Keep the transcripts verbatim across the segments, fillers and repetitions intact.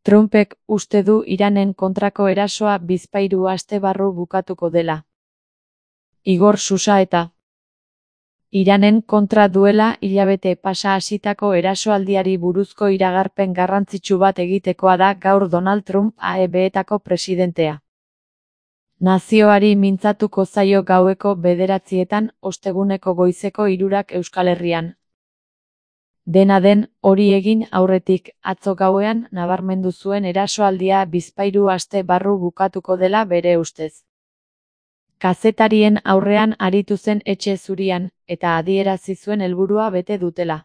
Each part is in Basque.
Trumpek uste du Iranen kontrako erasoa bizpahiru aste barru bukatuko dela. Igor Xusaeta. Iranen kontra duela hilabete pasa hasitako erasoaldiari buruzko iragarpen garrantzitsu bat egitekoa da gaur Donald Trump A E B-etako presidentea. Nazioari mintzatuko zaio gaueko bederatzietan, osteguneko goizeko hirurak Euskal Herrian. Dena den, hori egin aurretik, atzo gauean nabarmendu zuen erasoaldia bizpahiru aste barru bukatuko dela bere ustez. Kazetarien aurrean aritu zen Etxe Zurian, eta adierazi zuen helburua bete dutela.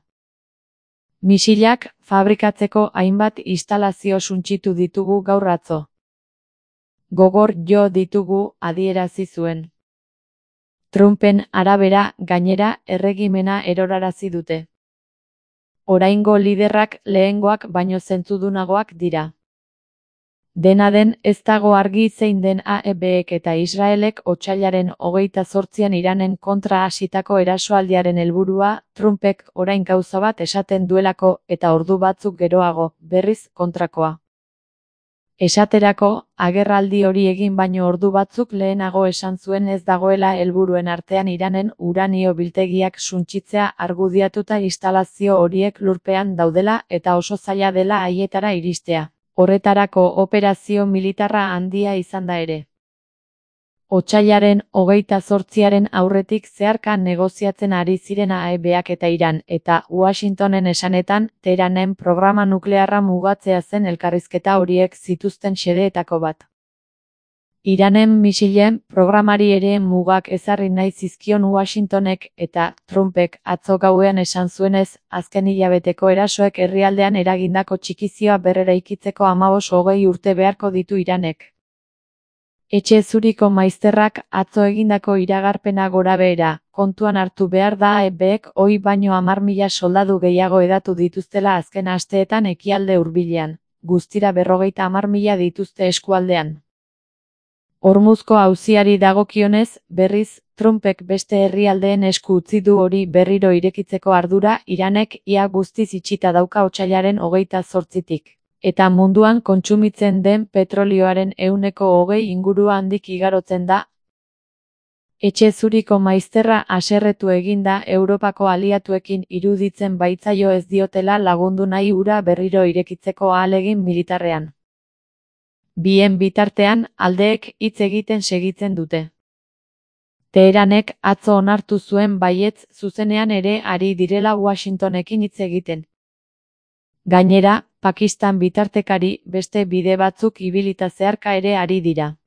Misilak fabrikatzeko hainbat instalazio suntsitu ditugu gaur atzo. Gogor jo ditugu, adierazi zuen. Trumpen arabera, gainera, erregimena erorarazi dute. Oraingo liderrak lehengoak baino zentzudunagoak dira. Dena den, ez dago argi zein den A E B-ek eta Israelek otsailaren hogeita zortzian Iranen kontra hasitako erasoaldiaren helburua, Trumpek orain gauza bat esaten duelako eta ordu batzuk geroago, berriz kontrakoa. Esaterako, agerraldi hori egin baino ordu batzuk lehenago esan zuen ez dagoela helburuen artean Iranen uranio biltegiak suntsitzea argudiatuta instalazio horiek lurpean daudela eta oso zaila dela haietara iristea. Horretarako operazio militarra handia izan da ere. Otsailaren hogeita zortziaren aurretik zeharka negoziatzen ari ziren A E B-ak eta Iran, eta Washingtonen esanetan, Teheranen programa nuklearra mugatzea zen elkarrizketa horiek zituzten xedeetako bat. Iranen misilen programari ere mugak ezarri nahi zizkion Washingtonek eta Trumpek atzo gauean esan zuenez, azken hilabeteko erasoek herrialdean eragindako txikizioa berreraikitzeko hamabost hogei urte beharko ditu Iranek. Etxe Zuriko maizterrak atzo egindako iragarpena gorabehera, kontuan hartu behar da A E B-ek ohi baino hamar mila soldadu gehiago hedatu dituztela azken asteetan ekialde hurbilean, guztira berrogeita hamar mila dituzte eskualdean. Hormuzko auziari dagokionez, berriz, Trumpek beste herrialdeen esku utzi du hori berriro irekitzeko ardura Iranek ia guztiz itxita dauka otsailaren hogeita zortzitik. Eta munduan kontsumitzen den petrolioaren ehuneko hogei ingurua handik igarotzen da. Etxe Zuriko maizterra haserretu egin da Europako aliatuekin iruditzen baitzaio ez diotela lagundu nahi hura berriro irekitzeko ahalegin militarrean. Bien bitartean, aldeek hitz egiten segitzen dute. Teheranek atzo onartu zuen baietz zuzenean ere ari direla Washingtonekin hitz egiten. Gainera, Pakistan bitartekari beste bide batzuk ibilita zeharka ere ari dira.